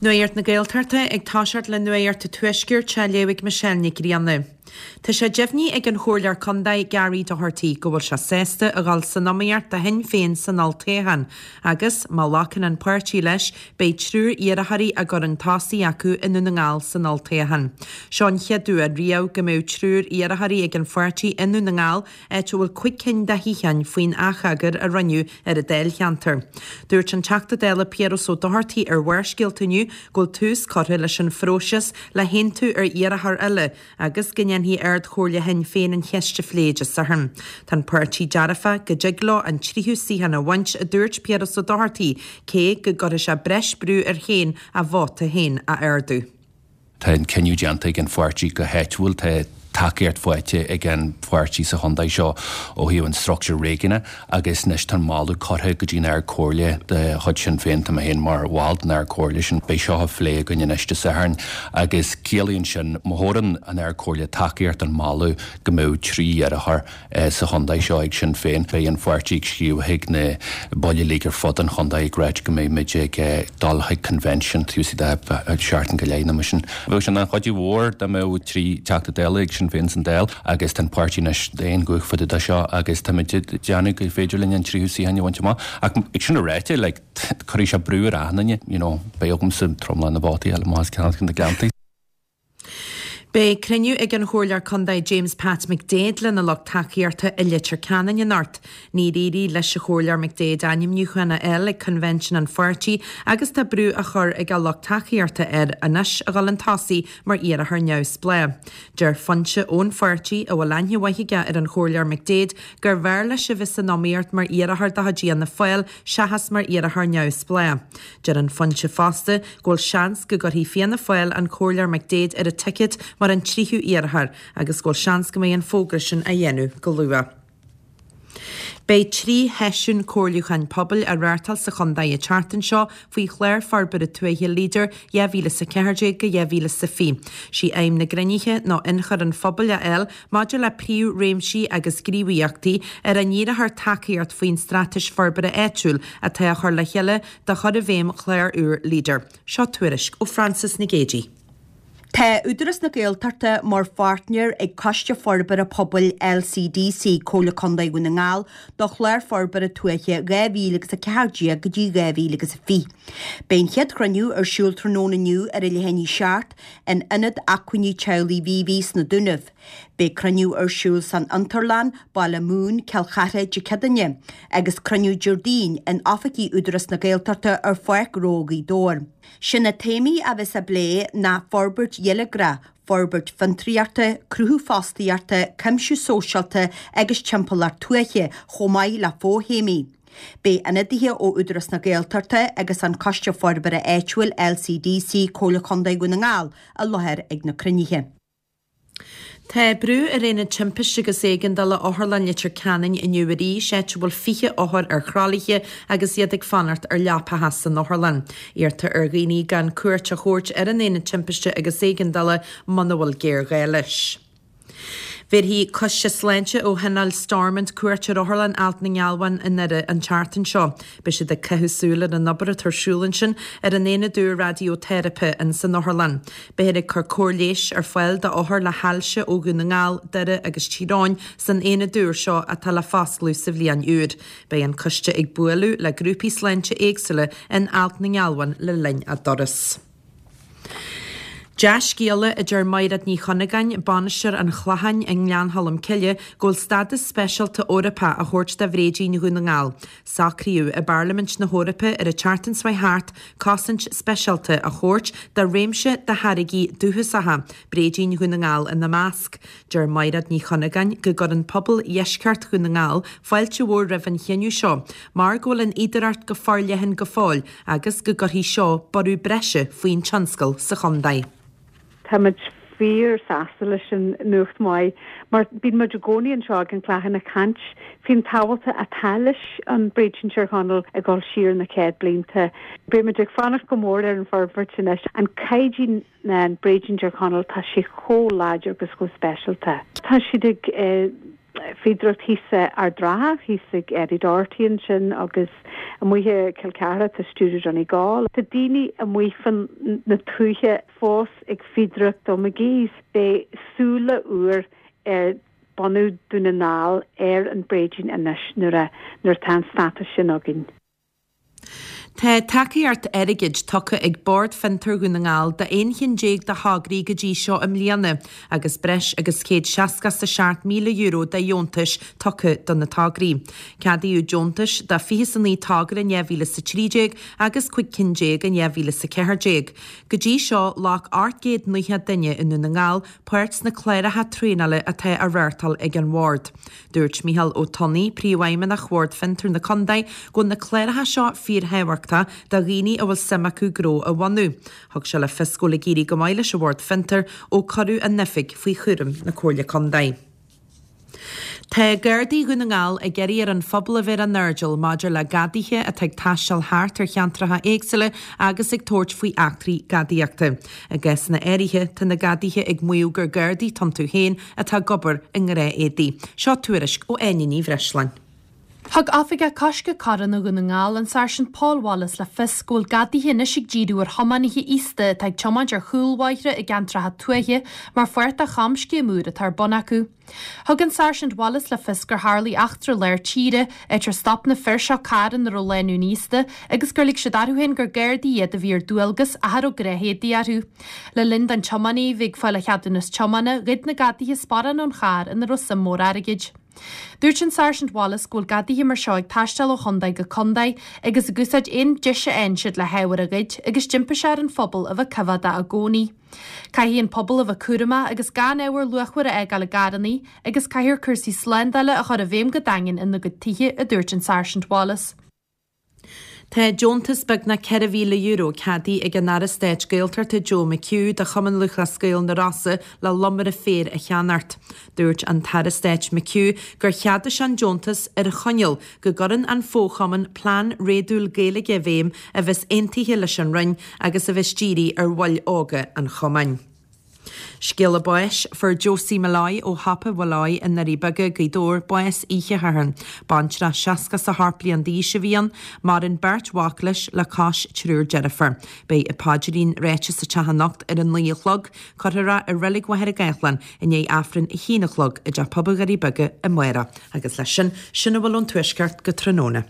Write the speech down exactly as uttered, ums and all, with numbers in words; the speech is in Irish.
Nuacht na Gaeltachta ag toiseacht le Nuacht an Tuaiscirt á léamh ag Michelle Nic Grianna. Tá sé deimhnithe ag an Chomhairleoir Contae Gary Doherty go bhfuil sé sásta a dhul san iomaíocht do Shinn Féin san olltoghchán, agus má ghlacann an páirtí leis, beidh triúr iarrthóirí á gcur chun tosaigh acu i nDún na nGall san olltoghchán. Seo an chéad uair riamh go mbeidh triúr iarrthóirí ag an pháirtí i nDún na nGall, áit a bhfuil cúig cinn de shuíocháin faoin atheagar a rinneadh ar an dáilcheantar. Dúirt an Teachta Dála Piaras Ó Dochartaigh ar Bharrscéalta inniu go bhfuil tús curtha leis an phróiseas le haontú ar iarrthóir eile agus go ndéanfaidh Ard-Chomhairle Shinn Féin an cheist a phlé Dé Sathairn. Tá an páirtí dearfach go dtig leo an tríú suíochán a bhaint, a dúirt Piaras Ó Dochartaigh, cé go gcuirfidh sé breis brú air féin a vóta féin a ardú. Tá an cinneadh déanta ag an pháirtí go háitiúil, tá tacaíocht faighte ag an pháirtí sa chontae seo ó thaobh an struchtúr réigiúnach agus anois tá an moladh curtha go dtí an Ard-Chomhairle de chuid Sinn Féin, tá mé féin mar bhall den Ard-Chomhairle sin. Beidh seo á phlé againn anois Dé Sathairn agus ciallaíonn sin má thabharann an Ard-Chomhairle tacaíocht don mholadh go mbeadh trí iarrthóir sa chontae seo ag Sinn Féin. Beidh an pháirtí ag scríobh chuig na baill uilig ar fud an chontae ag ráit go mbeidh muid ag dul chuig convention taobh istigh de sheachtain go leith nó mar sin. Bheadh sin an-chuidiú mhór dá mbeadh trí Teachta Dála ag Sinn Féin san Dáil agus tá an páirtí anois d'aon ghuth fá dtaobh de seo agus táimid ag déanamh gur féidir linn an tríú suíochán a bhaint amach. Ach ag sin a ráite, like, cuirfidh sé brú ar achan duine, you know, beidh agamsa tromlach na vótaí eile amach as ceann na gceantaí. Beidh cruinniú ag an Chomhairleoir Contae James Pat McDaid lena lucht tacaíochta i Leitir Ceanainn anocht. Níor éirigh leis an Chomhairleoir McDaid ainmniúchán a fháil ag convention an pháirtí agus tá brú á chur ag a lucht tacaíochta air anois a dhul chun tosaigh mar iarrthóir neamhspleách. Deir foinse ón pháirtí a bhfuil aithne mhaith aige ar an Chomhairleoir McDaid gur bhfearr leis a bheith san iomaíocht mar iarrthóir de chuid Fhianna Fáil seachas mar iarrthóir neamhspleách. Deir an foinse fosta go bhfuil seans go gcuirfidh Fianna Fáil an Comhairleoir McDaid ar an ticket mar an tríú iarrthóir agus go bhfuil seans go mbeidh an fógra sin á dhéanamh go luath. Beidh trí sheisiún comhairliúcháin pobail á reáchtáil sa chontae an tseachtain seo faoi chlár forbartha tuaithe Leader dhá mhíle is a ceathair déag go dhá mhíle is a fiche. Sí aidhm na gcruinnithe ná ionchur an phobail a fháil maidir le príomhréimsí agus gníomhaíochtaí ar a ndíreofar tacaíocht faoin Straitéis Forbartha Áitiúil atá á chur le chéile do chur i bhfeidhm chlár úr Leader. Seo tuairisc ó Francis Nic Géadaigh. Tá Údarás na Gaeltachta mar pháirtnéir ag Coiste Forbartha Pobail LCDC Comhairle Contae Dhún na nGall do chlár forbartha tuaithe dhá mhíle agus a ceathair déag go dtí dhá mhíle agus a fiche. Beidh an chéad chruinniú ar siúl tráthnóna inniu ar a leath i ndiaidh a seacht in Ionad Acmhainní Teaghlaigh Mhíobhaigh sna Dúnaibh. Beidh cruinniú ar siúl san Fhiontarlann, Baile Mumhan, Cill Chartha, Dé Céadaoine, agus cruinniú Déardaoin in oifigí Údarás na Gaeltachta ar Pháirc Ghnó Ghaoth Dobhair. Sé na téamaí a bheas á bplé ná forbairt gheilleagrach, forbairt fiontraíochta, cruthú fostaíochta, cuimsiú sóisialta agus timpeallacht tuaithe, chomh maith le fothéamaí. Beidh ionadaithe ó Údarás na Gaeltachta agus an Coiste Forbartha Áitiúil, LCDC, Comhairle Contae Dhún na nGall, i láthair ag na cruinnithe. Tá brú ar Aonad Timpiste agus Éigeandála Otharlann Leitir Ceanainn inniu arís, áit a bhfuil fiche othar ar thralaithe agus iad ag fanacht ar leapacha san otharlann. Iarrtar ar dhaoine gan cuairt a thabhairt ar an Aonad Timpiste agus Éigeandála muna bhfuil géarghá leis. Bhéarfaidh Coiste Sláinte ó Thionól Stormont cuairt ar Otharlann Alt na nGealbhan i nDoire an tseachtain seo. Beidh siad ag caitheamh súil ar an obair atá ar siúl ansin ar an aonad úr raidióiteiripe in san otharlann. Beifear ag cur cóir leighis ar fáil d'othair le hailse ó Dhún na nGall, Doire agus Tír Eoghain san aonad úr seo atá le foscladh sa bhliain úr. Beidh an coiste ag bualadh le grúpaí sláinte éagsúla in Alt na nGealbhan le linn a dturas. Dea-scéala, a deir Maighread Ní Chunagáin, Bainisteoir an Chlocháin i nGleann Cholm Cille, go bhfuil stádas speisialta Eorpach á thabhairt do bhréidín Dhún na nGall. Socraíodh i bParlaimint na hEorpa ar an tseachtain seo thart cosaint speisialta a thabhairt do réimse de tháirgí dúchasacha, bréidín Dhún na nGall ina measc. Deir Maighread Ní Chunagáin go gcuireann pobal dheisceart Dhún na nGall fáilte mhór roimh an chinneadh seo mar go bhfuil an fhéidearthacht go forleathan go fóill agus go gcuirfidh seo borradh breise faoin tionscal sa chontae. Táimid fíor sásta leis an nuacht maith mar bíonn muid i gcónaí anseo ag an Clochán ag caint faoin tábhacht atá leis an bréidín Tír Chonaill ag dul siar na céad blianta. Beidh muid ag fanacht go mór ar an forbairt anois. An caighdeán an bréidín Tír Chonaill tá sé chomh láidir agus chomh speisialta. Tá siad ag eh, fíodóireacht thíos i Ard an Rátha, thíos ag Eddie Doherty ansin agus amuigh i Cill Chartha tá Studio Donegal. Tá daoine amuigh fan na tuaithe fós ag fíodóireacht do McGee's. Beidh súile úr ar bunú Dún na nGall ar an bhréidín anois nuair a nuair atá an stádas sin againn. Tá tacaíocht airgid tugtha ag Bord Fiontar Dhún na nGall d'aon cheann déag de thograí go dtí seo i mbliana agus breis agus céad seasca is a seacht míle euro de dheontais tugtha do na tograí. Ceadaíodh deontais do fiche is a naoi togra in dhá mhíle is a trí déag agus cúig cinn déag in dhá mhíle is a ceathair déag. Go dtí seo, ghlac ocht gcéad nócha duine i nDún na nGall páirt sna cláracha traenála atá á reáchtáil ag an Bhord. Dúirt Mícheál Ó Tonnaigh, Príomhfheidhmeannach Bhord Fiontar na Contae, go bhfuil na cláracha seo fíorthábhachtach do dhaoine a bhfuil suim acu gnó a bhunú. Thug sé le fios go bhfuil ag éirí go maith leis an Bhord Fiontar ó cuireadh an oifig faoi chúram na Comhairle Contae. Tá Gardaí Dhún na nGall ag iarraidh ar an phobal a bheith ar a n-airdeall maidir le gadaithe atá ag taisteal thart ar cheantracha éagsúla agus ag tabhairt faoi eachtraí gadaíochta. I gcásanna áirithe, tá na gadaithe ag maíomh gur Gardaí atá iontu féin atá ag obair i ngnáthéadaí. Seo tuairisc ó Áine Ní Bhreisleáin. Thug Oifigeach Coiscthe Coireanna Dhún na nGall, an Sáirsint Paul Wallace le fios go bhfuil gadaithe anois ag díriú ar thiománaithe aosta atá ag tiomáint ar chúlbhóithre i gceantracha tuaithe mar pháirt de chamscéim úr atá ar bun acu. Thug an Sáirsint Wallace le fios gur tharlaigh eachtra lár tíre, áit ar stop na fir seo carr ina raibh lánúin aosta agus gur lig siad orthu féin gur Gardaí iad a bhí ar dualgas ach a raibh gnáthéadaí orthu. Le linn don tiománaí a bheith ag fáil a cheadúnas tiomána, ghoid na gadaithe sparán ón charr ina raibh suim mhór airgid. Dúirt an Sáirsint Wallace go bhfuil gadaithe mar seo ag taisteal ó chontae go contae agus ag úsáid aon deis a fhaigheann siad le hábhar a ghoid agus d'impigh sé ar an phobal a bheith coimheádach i gcónaí. Caithfidh an pobal a bheith cúramach agus gan ábhar luachmhar a fhágáil i gcarranna agus caithfear cúrsaí slándála a chur i bhfeidhm go daingean ina gcuid tithe, a dúirt an Sáirsint Wallace. Tá deontas beagnach ceithre mhíle euro ceadaithe ag an Aire Stáit Gaeltachta Joe McHugh do Chumann Lúthchleas Gael na Rosa le lomaire féir a cheannacht. Dúirt an tAire Stáit McHugh gur cheadaigh sé an deontas ar choinníoll go gcuireann an fo-chumann plean réadúil Gaeilge i bhfeidhm a bheas aontaithe leis an Roinn agus a bheas dírithe ar bhaill óga an chumainn. Scéala báis, Fuair Josie Molloy ó Shiopa Mholloy i nDoirí Beaga, Gaoth Dobhair, bás oíche Shathairn. Baintreach seasca is a hocht bliain d'aois a bhí ann. Maireann beirt mhac leis le cois triúr deirfiúr. Beidh an paidrín ráite sa teach anocht ar a naoi a chlog. Cuirfear é i Reilig Mhachaire Gathlán i ndiaidh Aifreann a haon a chlog i dTeach Pobail Dhoirí Beaga amárach. Agus leis sin, sin a bhfuil ón Tuaisceart go tráthnóna.